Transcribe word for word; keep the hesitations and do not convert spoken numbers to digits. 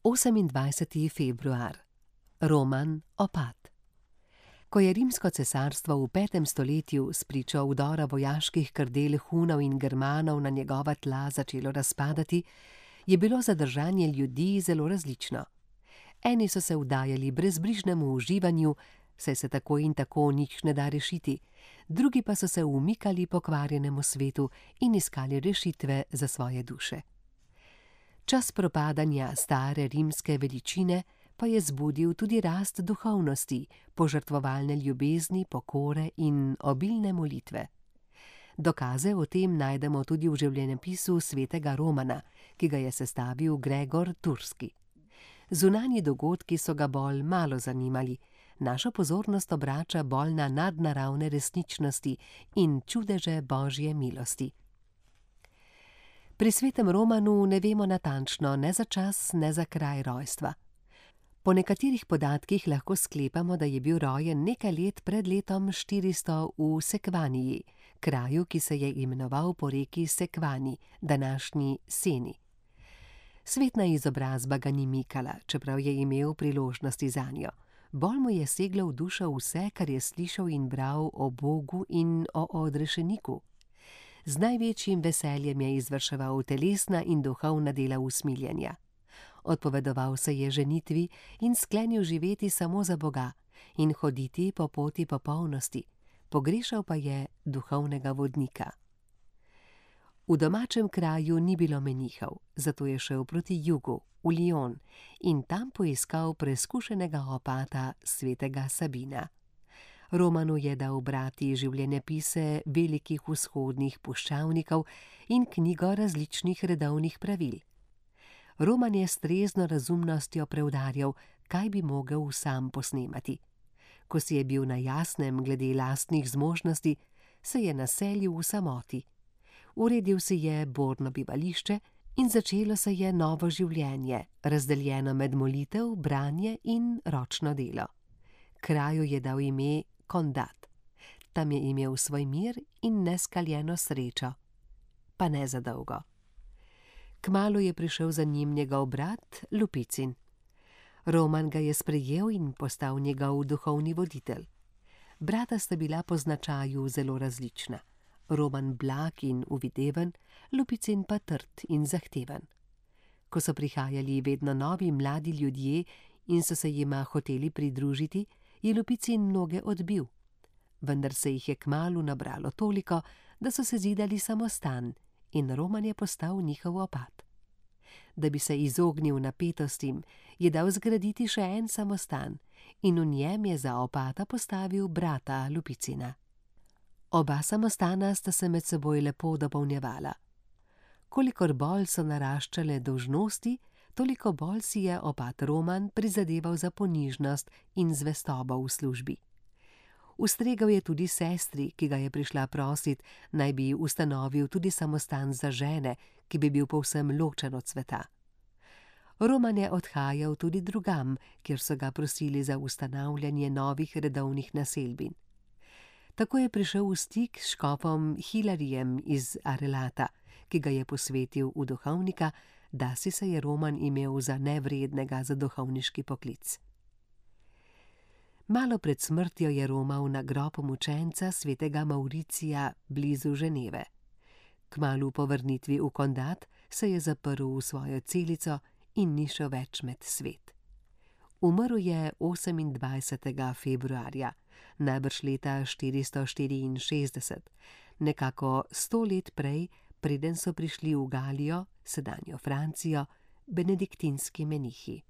osemindvajseti februar. Roman Opad. Ko je rimsko cesarstvo v petem stoletju spričo vdora vojaških krdel Hunov in Germanov na njegova tla začelo razpadati, je bilo zadržanje ljudi zelo različno. Eni so se vdajali brezbrižnemu uživanju, saj se tako in tako nič ne da rešiti, drugi pa so se umikali pokvarjenemu svetu in iskali rešitve za svoje duše. Čas propadanja stare rimske veličine pa je zbudil tudi rast duhovnosti, požrtvovalne ljubezni, pokore in obilne molitve. Dokaze o tem najdemo tudi v življenjepisu svetega Romana, ki ga je sestavil Gregor Turski. Zunanji dogodki so ga bolj malo zanimali, našo pozornost obrača bolj na nadnaravne resničnosti in čudeže Božje milosti. Pri svetem Romanu ne vemo natančno ne za čas, ne za kraj rojstva. Po nekaterih podatkih lahko sklepamo, da je bil rojen nekaj let pred letom štiristo v Sekvaniji, kraju, ki se je imenoval po reki Sekvani, današnji Seni. Svetna izobrazba ga ni mikala, čeprav je imel priložnosti zanjo. Bolj mu je seglo v dušo vse, kar je slišal in bral o Bogu in o odrešeniku. Z največjim veseljem je izvrševal telesna in duhovna dela usmiljenja. Odpovedoval se je ženitvi in sklenil živeti samo za Boga in hoditi po poti popolnosti, pogrešal pa je duhovnega vodnika. V domačem kraju ni bilo menihov, zato je šel proti jugu, v Lyon, in tam poiskal preizkušenega opata svetega Sabina. Romanu je dal brati življenjepise velikih vzhodnih puščavnikov in knjigo različnih redovnih pravil. Roman je s trezno razumnostjo preudarjal, kaj bi mogel sam posnemati. Ko si je bil na jasnem glede lastnih zmožnosti, se je naselil v samoti. Uredil si je borno bivališče in začelo se je novo življenje, razdeljeno med molitev, branje in ročno delo. Kraju je dal ime Condat. Tam je imel svoj mir in neskaljeno srečo. Pa ne za dolgo. Kmalu je prišel za njim njegov brat Lupicin. Roman ga je sprejel in postal njegov duhovni voditelj. Brata sta bila po značaju zelo različna. Roman blag in uvideven, Lupicin pa trd in zahteven. Ko so prihajali vedno novi mladi ljudje in so se jima hoteli pridružiti, je Lupicin mnoge odbil. Vendar se jih je kmalu nabralo toliko, da so se zidali samostan in Roman je postal njihov opat. Da bi se izognil napetostim, je dal zgraditi še en samostan in v njem je za opata postavil brata Lupicina. Oba samostana sta se med seboj lepo dopolnjevala. Kolikor bolj so naraščale dolžnosti, toliko bolj si je opat Roman prizadeval za ponižnost in zvestobo v službi. Ustregel je tudi sestri, ki ga je prišla prosit, naj bi ustanovil tudi samostan za žene, ki bi bil povsem ločen od sveta. Roman je odhajal tudi drugam, kjer so ga prosili za ustanavljanje novih redovnih naselbin. Tako je prišel v stik s škofom Hilarijem iz Arelata, ki ga je posvetil v duhovnika, dasi se je Roman imel za nevrednega za duhovniški poklic. Malo pred smrtjo je romal na grob mučenca svetega Mauricija blizu Ženeve. Kmalu po vrnitvi v Condat se je zaprl v svojo celico in ni šel več med svet. Umrl je osemindvajsetega februarja, najbrž leta štiristo štiriinšestdeset, nekako sto let prej, preden so prišli v Galijo, sedanjo Francijo, benediktinski menihi.